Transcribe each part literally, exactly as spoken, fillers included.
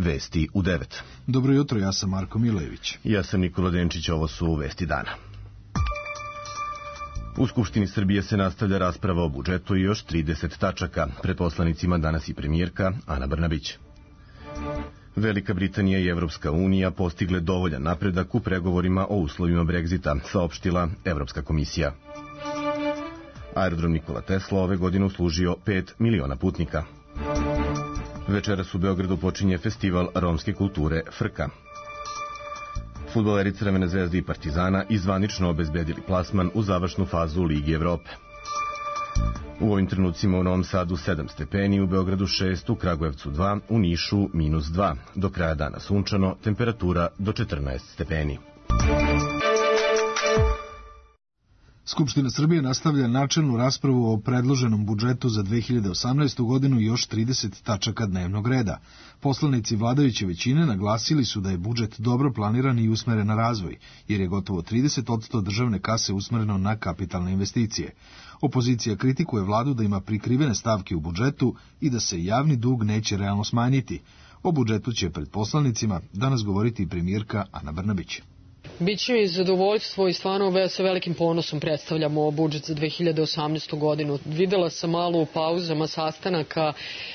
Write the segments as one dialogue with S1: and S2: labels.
S1: Vesti u devet.
S2: Dobro jutro, ja sam Marko Milejević.
S1: Ja sam Nikola Denčić, ovo su Vesti dana. U Skupštini Srbije se nastavlja rasprava o budžetu i još trideset tačaka. Pred poslanicima danas i premijerka Ana Brnabić. Velika Britanija i Evropska unija postigle dovoljan napredak u pregovorima o uslovima Brexita, saopštila Evropska komisija. Aerodrom Nikola Tesla ove godine uslužio pet miliona putnika. Večeras u Beogradu počinje festival romske kulture Frka. Fudbaleri Crvene zvezde i Partizana izvanično obezbedili plasman u završnu fazu Ligi Evrope. U ovim trenucima u Novom Sadu sedam stepeni, u Beogradu šest, u Kragujevcu dva, u Nišu minus dva. Do kraja dana sunčano, temperatura do četrnaest stepeni.
S2: Skupština Srbije nastavlja načelnu raspravu o predloženom budžetu za dve hiljade osamnaestu. godinu i još trideset tačaka dnevnog reda. Poslanici vladajuće većine naglasili su da je budžet dobro planiran i usmeren na razvoj, jer je gotovo trideset posto državne kase usmereno na kapitalne investicije. Opozicija kritikuje vladu da ima prikrivene stavke u budžetu i da se javni dug neće realno smanjiti. O budžetu će pred poslanicima danas govoriti i premijerka Ana Brnabić.
S3: Biće mi zadovoljstvo i stvarno sa velikim ponosom predstavljamo budžet za dve hiljade osamnaestu. godinu. Videla sam malo u pauzama sastanaka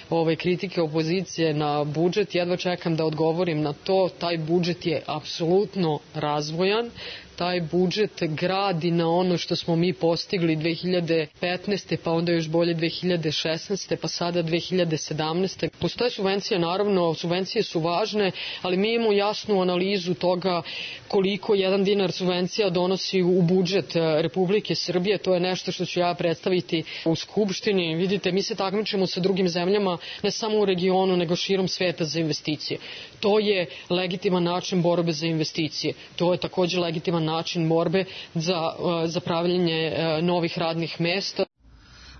S3: ove kritike opozicije na budžet. Jedva čekam da odgovorim na to. Taj budžet je apsolutno razvojan. Taj budžet gradi na ono što smo mi postigli dve hiljade petnaeste. pa onda još bolje dve hiljade šesnaeste. pa sada dve hiljade sedamnaeste. Postoje subvencije, naravno, subvencije su važne, ali mi imamo jasnu analizu toga koliko jedan dinar subvencija donosi u budžet Republike Srbije. To je nešto što ću ja predstaviti u Skupštini. Vidite, mi se takmičimo sa drugim zemljama, ne samo u regionu, nego širom sveta za investicije. To je legitiman način borbe za investicije. To je takođe legitiman način borbe za, za pravljenje novih radnih mesta.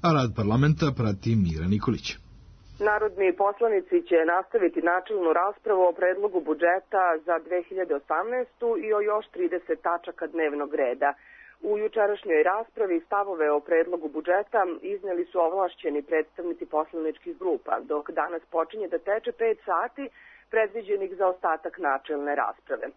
S2: A rad parlamenta prati Mira Nikolić.
S4: Narodni poslanici će nastaviti načelnu raspravu o predlogu budžeta za dve hiljade osamnaestu. i o još trideset tačaka dnevnog reda. U jučerašnjoj raspravi stavove o predlogu budžeta izneli su ovlašćeni predstavnici poslaničkih grupa, dok danas počinje da teče pet sati predviđenih za ostatak načelne rasprave.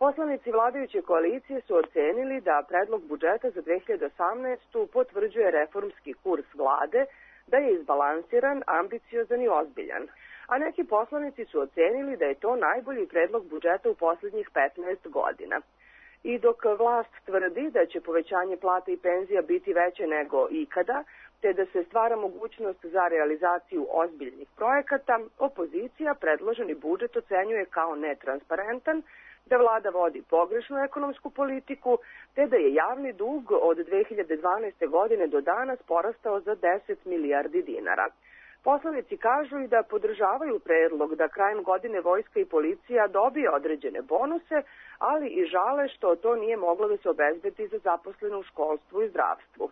S4: Poslanici vladajuće koalicije su ocenili da predlog budžeta za dve hiljade osamnaestu. potvrđuje reformski kurs vlade, da je izbalansiran, ambiciozan i ozbiljan. A neki poslanici su ocenili da je to najbolji predlog budžeta u poslednjih petnaest godina. I dok vlast tvrdi da će povećanje plata i penzija biti veće nego ikada, te da se stvara mogućnost za realizaciju ozbiljnih projekata, opozicija predloženi budžet ocenjuje kao netransparentan, da vlada vodi pogrešnu ekonomsku politiku, te da je javni dug od dve hiljade dvanaeste. godine do danas porastao za deset milijardi dinara. Poslanici kažu i da podržavaju predlog da krajem godine vojska i policija dobije određene bonuse, ali i žale što to nije moglo da se obezbedi za zaposlene u školstvu i zdravstvu.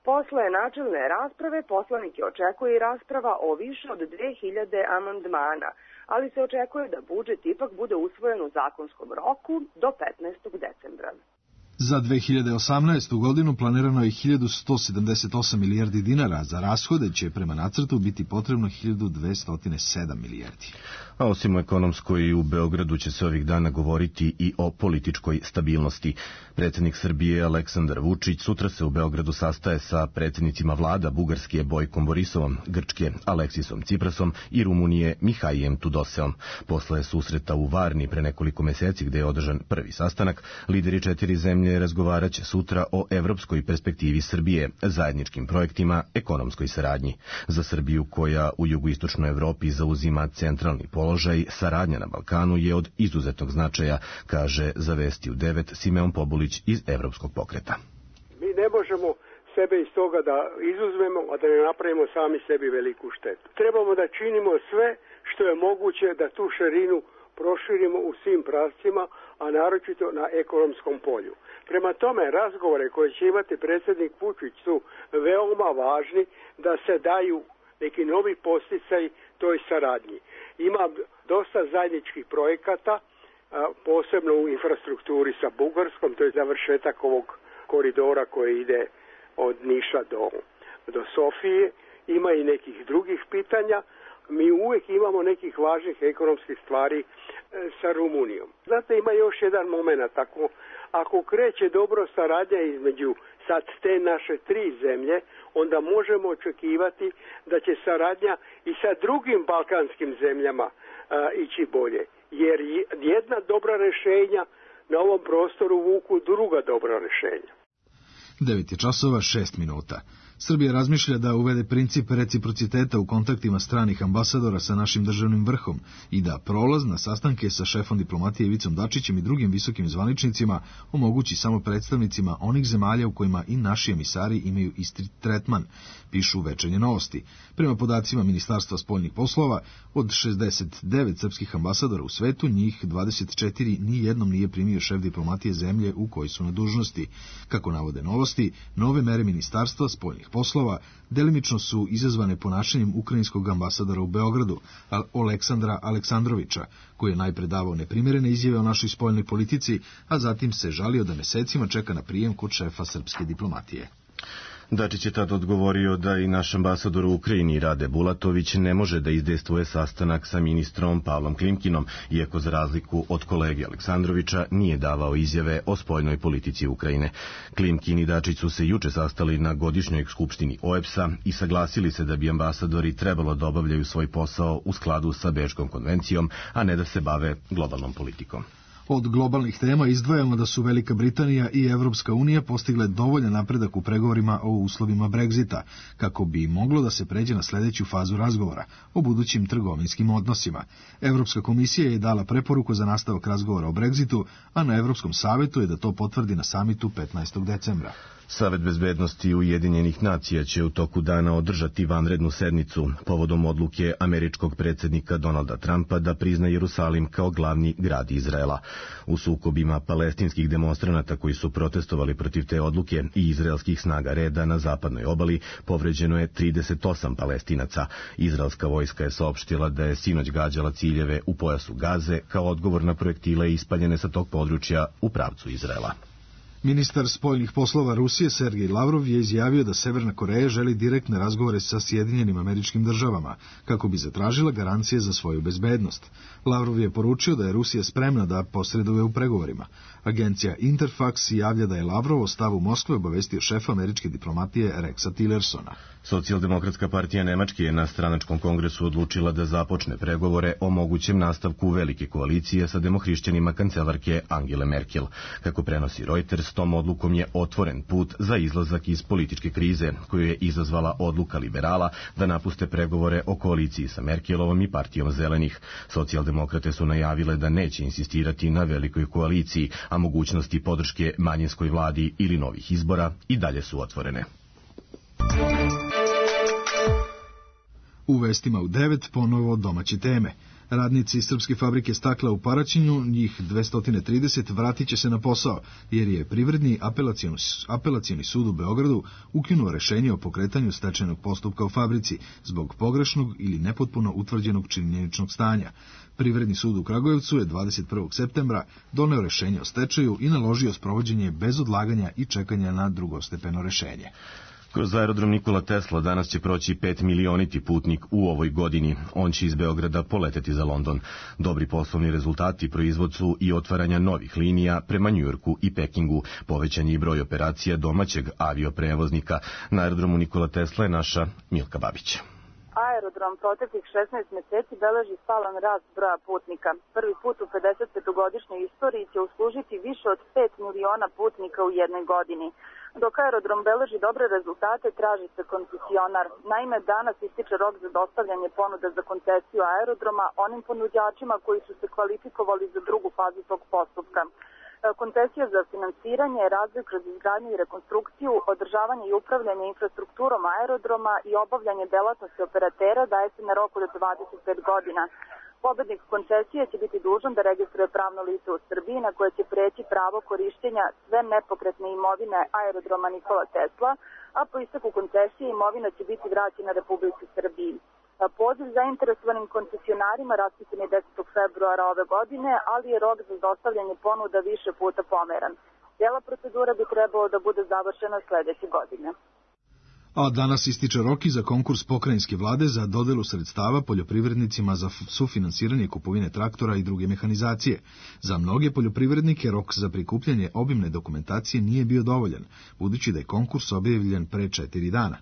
S4: Posle načelne rasprave poslanike očekuje i rasprava o više od dve hiljade amandmana, ali se očekuje da budžet ipak bude usvojen u zakonskom roku do petnaestog decembra.
S2: Za dve hiljade osamnaestu. godinu planirano je hiljadu sto sedamdeset osam milijardi dinara, za rashode će prema nacrtu biti potrebno hiljadu dvesta sedam milijardi.
S1: A osim o ekonomskoj, u Beogradu će se ovih dana govoriti i o političkoj stabilnosti. Predsjednik Srbije Aleksandar Vučić sutra se u Beogradu sastaje sa predsjednicima vlada Bugarske Bojkom Borisovom, Grčke Aleksisom Ciprasom i Rumunije Mihaijem Tudoseom. Posle susreta u Varni pre nekoliko meseci gde je održan prvi sastanak, lideri četiri zemlje razgovarat će sutra o evropskoj perspektivi Srbije, zajedničkim projektima, ekonomskoj saradnji. Za Srbiju, koja u jugoistočnoj Evropi zauzima centralni položaj, saradnja na Balkanu je od izuzetnog značaja, kaže za Vesti u devet Simeon Pobulić iz Evropskog pokreta.
S5: Mi ne možemo sebe iz toga da izuzmemo, a da ne napravimo sami sebi veliku štetu. Trebamo da činimo sve što je moguće da tu širinu proširimo u svim pravcima, a naročito na ekonomskom polju. Prema tome, razgovore koje će imati predsjednik Vučić su veoma važni da se daju neki novi posticaj toj saradnji. Ima dosta zajedničkih projekata, posebno u infrastrukturi sa Bugarskom, to je završetak ovog koridora koji ide od Niša do, do Sofije. Ima i nekih drugih pitanja, mi uvijek imamo nekih važnih ekonomskih stvari e, sa Rumunijom. Znate, ima još jedan moment, ako, ako kreće dobro saradnja između sad te naše tri zemlje, onda možemo očekivati da će saradnja i sa drugim balkanskim zemljama a, ići bolje. Jer jedna dobra rješenja na ovom prostoru vuku druga dobra rješenja.
S2: devet je časova šest minuta. Srbija razmišlja da uvede princip reciprociteta u kontaktima stranih ambasadora sa našim državnim vrhom i da prolaz na sastanke sa šefom diplomatije Ivicom Dačićem i drugim visokim zvaničnicima omogući samo predstavnicima onih zemalja u kojima i naši emisari imaju isti tretman, pišu Večernje novosti. Prema podacima Ministarstva spoljnih poslova, od šezdeset devet srpskih ambasadora u svetu, njih dvadeset četiri ni jednom nije primio šef diplomatije zemlje u kojoj su na dužnosti. Kako navode novosti, nove mere Ministarstva spoljnih poslova delimično su izazvane ponašanjem ukrajinskog ambasadora u Beogradu, Oleksandra Aleksandrovića, koji je najpre davao neprimjerene izjave o našoj spoljnoj politici, a zatim se žalio da mesecima čeka na prijem kod šefa srpske diplomatije.
S1: Dačić je tad odgovorio da i naš ambasador u Ukrajini Rade Bulatović ne može da izdejstvuje sastanak sa ministrom Pavlom Klimkinom, iako za razliku od kolege Aleksandrovića nije davao izjave o spoljnoj politici Ukrajine. Klimkin i Dačić su se juče sastali na godišnjoj skupštini O E B S-a i saglasili se da bi ambasadori trebalo da obavljaju svoj posao u skladu sa Bečkom konvencijom, a ne da se bave globalnom politikom.
S2: Od globalnih tema izdvajamo da su Velika Britanija i Evropska unija postigle dovoljan napredak u pregovorima o uslovima Brexita, kako bi moglo da se pređe na sledeću fazu razgovora o budućim trgovinskim odnosima. Evropska komisija je dala preporuku za nastavak razgovora o Brexitu, a na Evropskom savetu je da to potvrdi na samitu petnaestog decembra.
S1: Savet bezbednosti Ujedinjenih nacija će u toku dana održati vanrednu sednicu povodom odluke američkog predsjednika Donalda Trumpa da prizna Jerusalim kao glavni grad Izraela. U sukobima palestinskih demonstranata koji su protestovali protiv te odluke i izraelskih snaga reda na zapadnoj obali povređeno je trideset osam Palestinaca. Izraelska vojska je saopštila da je sinoć gađala ciljeve u pojasu Gaze kao odgovor na projektile ispaljene sa tog područja u pravcu Izraela.
S2: Ministar spoljnih poslova Rusije Sergej Lavrov je izjavio da Severna Koreja želi direktne razgovore sa Sjedinjenim Američkim Državama kako bi zatražila garancije za svoju bezbednost. Lavrov je poručio da je Rusija spremna da posreduje u pregovorima. Agencija Interfax javlja da je Lavrov o stavu Moskve obavestio šefa američke diplomatije Rexa Tillersona.
S1: Socijaldemokratska partija Nemačke je na stranačkom kongresu odlučila da započne pregovore o mogućem nastavku velike koalicije sa demohrišćanima kancelarke Angele Merkel. Kako prenosi Reuters, tom odlukom je otvoren put za izlazak iz političke krize, koju je izazvala odluka liberala da napuste pregovore o koaliciji sa Merkelovom i partijom zelenih. Socijaldemokrate su najavile da neće insistirati na velikoj koaliciji, a mogućnosti podrške manjinskoj vladi ili novih izbora i dalje su otvorene.
S2: U vestima u devet ponovo domaće teme. Radnici srpske fabrike stakla u Paraćinu, njih dvesta trideset, vratit će se na posao, jer je Privredni apelacioni, apelacioni sud u Beogradu ukinuo rešenje o pokretanju stečajnog postupka u fabrici zbog pogrešnog ili nepotpuno utvrđenog činjeničnog stanja. Privredni sud u Kragujevcu je dvadeset prvog septembra doneo rešenje o stečaju i naložio sprovođenje bez odlaganja i čekanja na drugostepeno rešenje.
S1: Kroz aerodrom Nikola Tesla danas će proći pet milioniti putnik u ovoj godini. On će iz Beograda poleteti za London. Dobri poslovni rezultati proizvod su i otvaranja novih linija prema Njujorku i Pekingu. Povećan je i broj operacija domaćeg avioprevoznika. Na aerodromu Nikola Tesla je naša Milka Babić.
S6: Aerodrom proteklih šesnaest meseci beleži stalan rast broja putnika. Prvi put u pedesetpetogodišnjoj istoriji će uslužiti više od pet miliona putnika u jednoj godini. Dok aerodrom beleži dobre rezultate, traži se koncesionar. Naime, danas ističe rok za dostavljanje ponuda za koncesiju aerodroma onim ponuđačima koji su se kvalifikovali za drugu fazu tog postupka. Koncesija za finansiranje, razvoj kroz izgradnju i rekonstrukciju, održavanje i upravljanje infrastrukturom aerodroma i obavljanje delatnosti operatera daje se na rok od dvadeset pet godina. Pobednik koncesije će biti dužan da registruje pravno lice u Srbiji na koje će preći pravo korišćenja sve nepokretne imovine aerodroma Nikola Tesla, a po isteku koncesije imovina će biti vraćena Republici Srbiji. Poziv zainteresovanim koncesionarima raspisan je desetog februara ove godine, ali je rok za dostavljanje ponuda više puta pomeran. Cijela procedura bi trebalo da bude završena sledeće godine.
S2: A danas ističe rok i za konkurs pokrajinske vlade za dodelu sredstava poljoprivrednicima za sufinansiranje kupovine traktora i druge mehanizacije. Za mnoge poljoprivrednike rok za prikupljanje obimne dokumentacije nije bio dovoljan, budući da je konkurs objavljen pre četiri dana.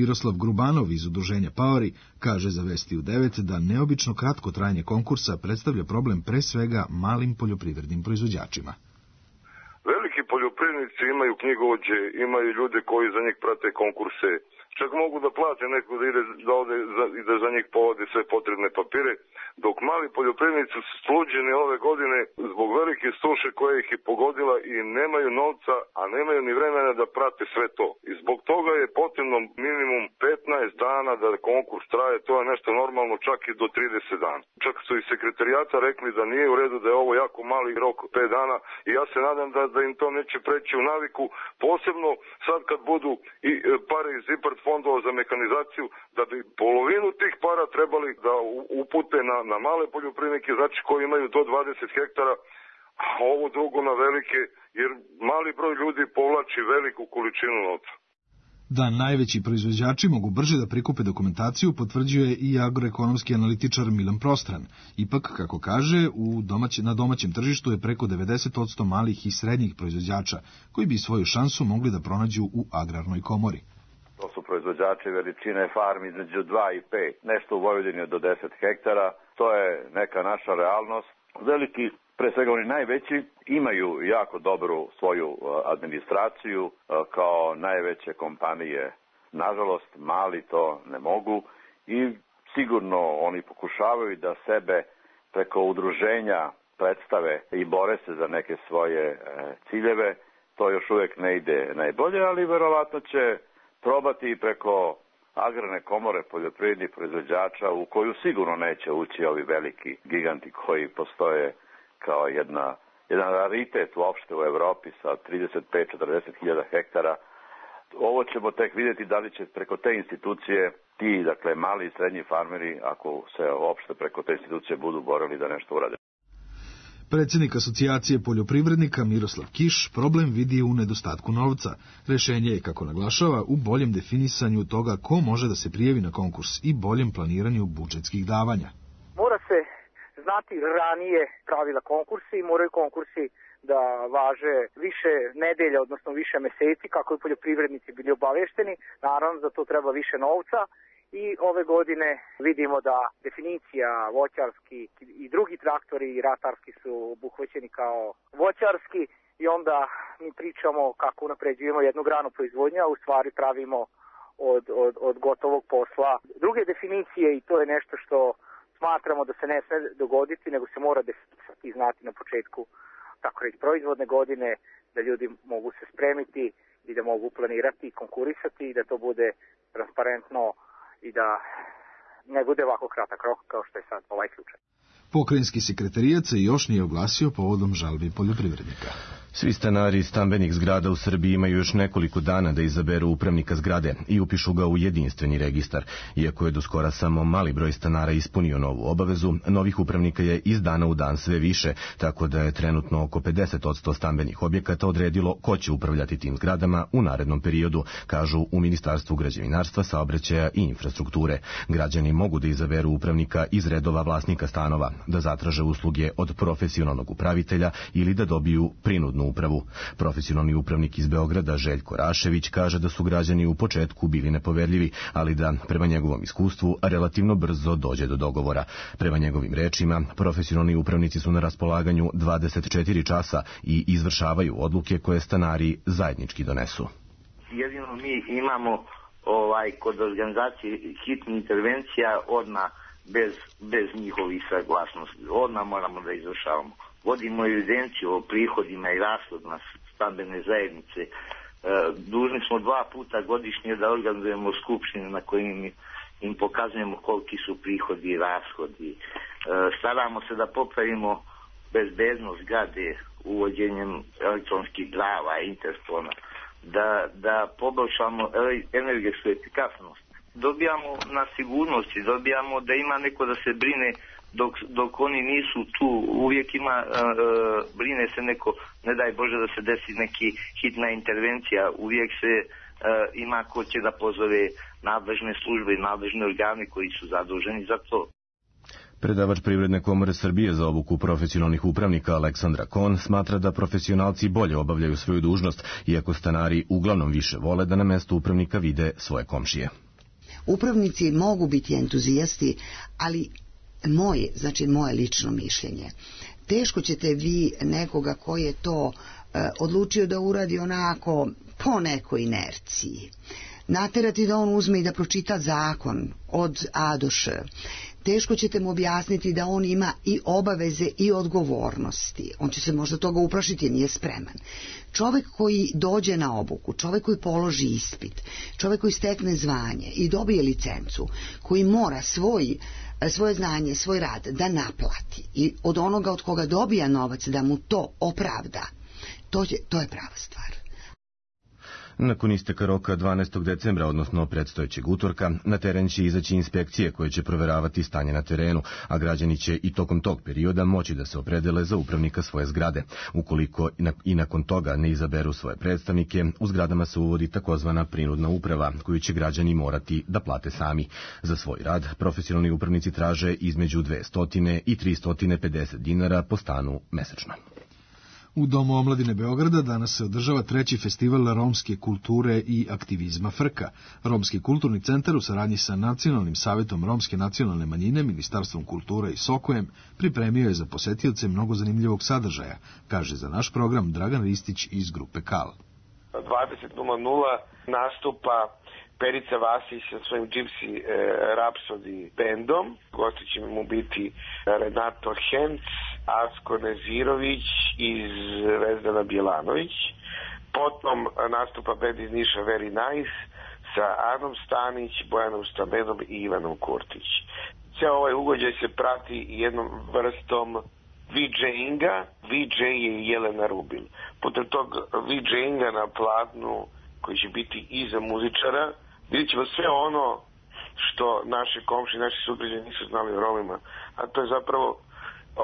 S2: Miroslav Grubanov iz udruženja Paori kaže za Vesti u devet da neobično kratko trajanje konkursa predstavlja problem pre svega malim poljoprivrednim proizvođačima.
S7: Veliki poljoprivrednici imaju knjigovođe, imaju ljude koji za njih prate konkurse, čak mogu da plate neko da ide da ode za, i da za njih povode sve potrebne papire, dok mali poljoprivrednici su sluđeni ove godine zbog velike suše koja ih je pogodila i nemaju novca, a nemaju ni vremena da prate sve to. I zbog toga je potrebno minimum petnaest dana da konkurs traje, to je nešto normalno, čak i do trideset dana. Čak su iz sekretarijata rekli da nije u redu, da je ovo jako mali rok, pet dana, i ja se nadam da, da im to neće preći u naviku, posebno sad kad budu i pare iz IPARD fondova za mehanizaciju, da bi polovinu tih para trebali da upute na, na male poljoprivrednike, znači koji imaju do dvadeset hektara, a ovo drugo na velike, jer mali broj ljudi povlači veliku količinu novca.
S2: Da najveći proizvođači mogu brže da prikupe dokumentaciju potvrđuje i agroekonomski analitičar Milan Prostran. Ipak, kako kaže, u domać, na domaćem tržištu je preko devedeset posto malih i srednjih proizvođača, koji bi svoju šansu mogli da pronađu u agrarnoj komori.
S8: To su proizvođači veličine farmi između dva i pet, nešto u Vojvodini do deset hektara, to je neka naša realnost. Veliki, pre svega oni najveći, imaju jako dobru svoju administraciju kao najveće kompanije. Nažalost, mali to ne mogu i sigurno oni pokušavaju da sebe preko udruženja predstave i bore se za neke svoje ciljeve. To još uvek ne ide najbolje, ali verovatno će probati preko agrarne komore poljoprivrednih proizvođača, u koju sigurno neće ući ovi veliki giganti koji postoje kao jedna, jedan raritet uopšte u Evropi sa trideset pet do četrdeset hiljada hektara. Ovo ćemo tek vidjeti da li će preko te institucije ti, dakle, mali i srednji farmeri, ako se uopšte preko te institucije budu borili da nešto urade.
S2: Predsjednik asocijacije poljoprivrednika Miroslav Kiš problem vidi u nedostatku novca. Rešenje je, kako naglašava, u boljem definisanju toga ko može da se prijavi na konkurs i boljem planiranju budžetskih davanja.
S9: Mora se znati ranije pravila konkursi i moraju konkursi da važe više nedelja, odnosno više meseci, kako i poljoprivrednici bili obavešteni. Naravno, za to treba više novca. I ove godine vidimo da definicija voćarski i drugi traktori i ratarski su obuhvaćeni kao voćarski i onda mi pričamo kako unapređujemo jednu granu proizvodnja, a u stvari pravimo od, od, od gotovog posla druge definicije i to je nešto što smatramo da se ne sme dogoditi, nego se mora definisati i znati na početku, tako reći, proizvodne godine, da ljudi mogu se spremiti i da mogu planirati i konkurisati i da to bude transparentno i da ne bude ovako kratak rok kao što je sad ovaj slučaj.
S2: Pokrajinski sekretarijat se još nije oglasio povodom žalbi poljoprivrednika.
S1: Svi stanari stambenih zgrada u Srbiji imaju još nekoliko dana da izaberu upravnika zgrade i upišu ga u jedinstveni registar. Iako je do skora samo mali broj stanara ispunio novu obavezu, novih upravnika je iz dana u dan sve više, tako da je trenutno oko pedeset posto stambenih objekata odredilo ko će upravljati tim zgradama u narednom periodu, kažu u Ministarstvu građevinarstva, saobraćaja i infrastrukture. Građani mogu da izaberu upravnika iz redova vlasnika stanova, da zatraže usluge od profesionalnog upravitelja ili da dobiju prinudnu upravu. Profesionalni upravnik iz Beograda Željko Rašević kaže da su građani u početku bili nepoverljivi, ali da, prema njegovom iskustvu, relativno brzo dođe do dogovora. Prema njegovim rečima, profesionalni upravnici su na raspolaganju dvadeset četiri časa i izvršavaju odluke koje stanari zajednički donesu.
S10: Jedino mi imamo ovaj kod organizacije hitnih intervencija odmah bez, bez njihovih saglasnosti. Odmah moramo da izvršavamo. Vodimo evidenciju o prihodima i rashodima stambene zajednice. E, dužni smo dva puta godišnje da organizujemo skupštine na kojim im pokazujemo koliki su prihodi i rashodi. E, staramo se da popravimo bezbednost zgrade uvođenjem elektronskih prava i interfona, da, da poboljšamo energetsku efikasnost. Dobijamo na sigurnosti, dobijamo da ima neko da se brine dok, dok oni nisu tu, uvijek ima, uh, brine se neko, ne daj Bože da se desi neki hitna intervencija, uvijek se ima ko će da pozove nadležne službe i nadležne organe koji su zaduženi za to.
S1: Predavač Privredne komore Srbije za obuku profesionalnih upravnika Aleksandra Kon smatra da profesionalci bolje obavljaju svoju dužnost, iako stanari uglavnom više vole da na mestu upravnika vide svoje komšije.
S11: Upravnici mogu biti entuzijasti, ali moje, znači moje lično mišljenje, teško ćete vi nekoga koji je to e, odlučio da uradi onako po nekoj inerciji, naterati da on uzme i da pročita zakon od A do Š. Teško ćete mu objasniti da on ima i obaveze i odgovornosti. On će se možda toga uplašiti jer nije spreman. Čovjek koji dođe na obuku, čovjek koji položi ispit, čovjek koji stekne zvanje i dobije licencu, koji mora svoj, svoje znanje, svoj rad da naplati i od onoga od koga dobija novac da mu to opravda, to je, to je prava stvar.
S1: Nakon isteka roka dvanaestog decembra, odnosno predstojećeg utorka, na teren će izaći inspekcije koje će proveravati stanje na terenu, a građani će i tokom tog perioda moći da se opredele za upravnika svoje zgrade. Ukoliko i nakon toga ne izaberu svoje predstavnike, u zgradama se uvodi takozvana prinudna uprava, koju će građani morati da plate sami. Za svoj rad profesionalni upravnici traže između dvesta i tristo pedeset dinara po stanu mesečno.
S2: U Domu omladine Beograda danas se održava treći festival romske kulture i aktivizma Frka. Romski kulturni centar u saradnji sa Nacionalnim savetom romske nacionalne manjine, Ministarstvom kulture i Sokojem pripremio je za posetioce mnogo zanimljivog sadržaja, kaže za naš program Dragan Ristić iz grupe Kal.
S12: dvadeset nula nastupa Perica Vasić sa svojim Gypsy e, Rhapsody bandom. Gosti će mu biti Renato Henc, Asko Nezirović i Vezdana Bjelanović. Potom nastupa band iz Niša Very Nice sa Anom Stanić, Bojanom Stamenom i Ivanom Kurtić. Ceo ovaj ugođaj se prati jednom vrstom VJinga. VJ je Jelena Rubil. Putem tog VJinga na platnu koji će biti iza muzičara, vidjet ćemo sve ono što naše komši, naši sugrađani nisu znali o Romima. A to je zapravo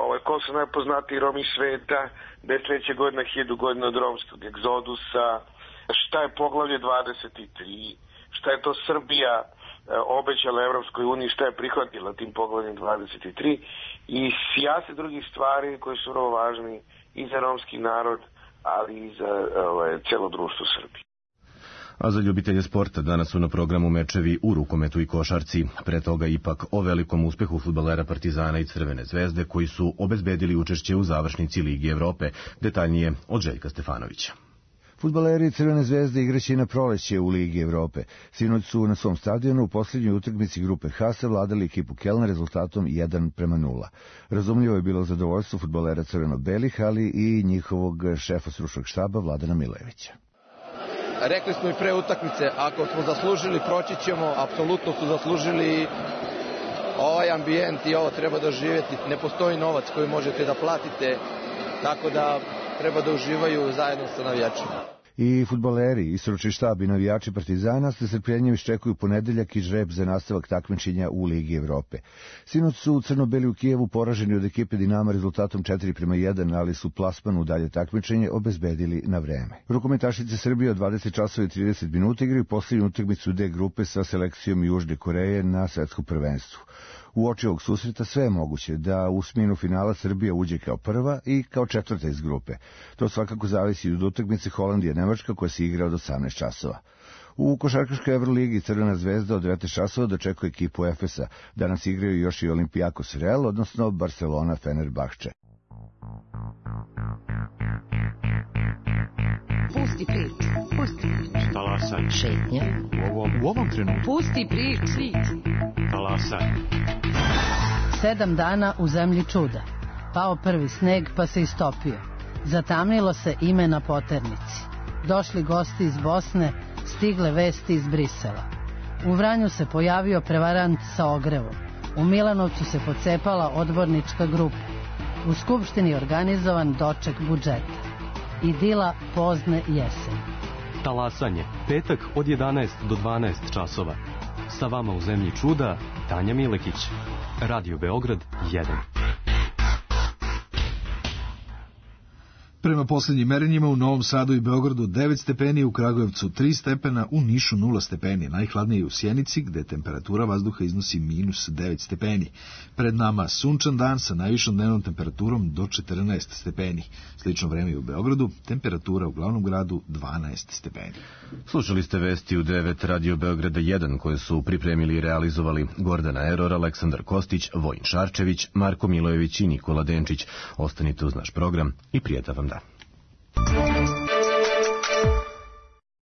S12: ovaj, ko su najpoznatiji Romi sveta, deset godina, hiljadu godina od romskog egzodusa, šta je poglavlje dvadeset tri, šta je to Srbija obećala Evropskoj uniji, šta je prihvatila tim poglavljem dvadeset tri i sjase drugih stvari koji su vrlo važni i za romski narod, ali i za ovaj, celo društvo Srbije.
S1: A za ljubitelje sporta danas su na programu mečevi u rukometu i košarci. Pre toga ipak o velikom uspehu fudbalera Partizana i Crvene zvezde koji su obezbedili učešće u završnici Ligi Evrope. Detaljnije od Željka Stefanovića.
S13: Fudbaleri Crvene zvezde igraće na proleće u Ligi Evrope. Sinoć su na svom stadionu u posljednjoj utakmici grupe H savladali ekipu Kelna rezultatom jedan prema nula. Razumljivo je bilo zadovoljstvo fudbalera crveno-belih, ali i njihovog šefa stručnog štaba Vladana Milevića.
S14: Rekli smo i pre utakmice, ako smo zaslužili, proći ćemo, apsolutno su zaslužili ovaj ambijent i ovo treba doživjeti. Ne postoji novac koji možete da platite, tako da treba da uživaju zajedno sa navijačima.
S13: I fudbaleri, i stručni štab i navijači Partizana s nestrpljenjem iščekuju ponedeljak i žreb za nastavak takmičenja u Ligi Evrope. Sinoć su crno-beli u Kijevu poraženi od ekipe Dinama rezultatom četiri prema jedan, ali su plasman u dalje takmičenje obezbedili na vreme. Rukometašice Srbije od dvadeset časova i trideset minuta igraju posljednju utakmicu D grupe sa selekcijom Južne Koreje na svetskom prvenstvu. U oči ovog susreta sve je moguće da u sminu finala Srbija uđe kao prva i kao četvrta iz grupe. To svakako zavisi od utakmice Holandija-Nemačka koja se igra od osamnaest časova. U košarkaškoj Evroligi Crvena zvezda od devetnaest časova dočekuje ekipu Efesa. Danas igraju još i Olympiakos Real, odnosno Barcelona Fenerbahče.
S15: Pusti priču, pusti priču.
S16: Talasaj.
S15: Šetnja.
S16: U ovom, u ovom trenutku.
S15: Pusti priču.
S16: Talasaj.
S17: Sedam dana u zemlji čuda. Pao prvi sneg pa se istopio. Zatamnilo se ime na poternici. Došli gosti iz Bosne, stigle vesti iz Brisela. U Vranju se pojavio prevarant sa ogrevom. U Milanovcu se pocepala odbornička grupa. U Skupštini organizovan doček budžeta. Idila pozne jesen.
S16: Talasanje, petak od jedanaest do dvanaest časova. Sa vama u zemlji čuda, Tanja Milekić. Radio Beograd jedan.
S2: Prema posljednjim merenjima u Novom Sadu i Beogradu devet stepeni, u Kragujevcu tri stepena, u Nišu nula stepeni, najhladnije je u Sjenici gde temperatura vazduha iznosi minus devet stepeni. Pred nama sunčan dan sa najvišom dnevnom temperaturom do četrnaest stepeni. Slično vreme i u Beogradu, temperatura u glavnom gradu dvanaest stepeni.
S1: Slušali ste vesti u devet Radio Beograda jedan koje su pripremili i realizovali Gordana Eror, Aleksandar Kostić, Vojin Šarčević, Marko Milojević i Nikola Denčić. Ostanite uz naš program i prijatan vam dan.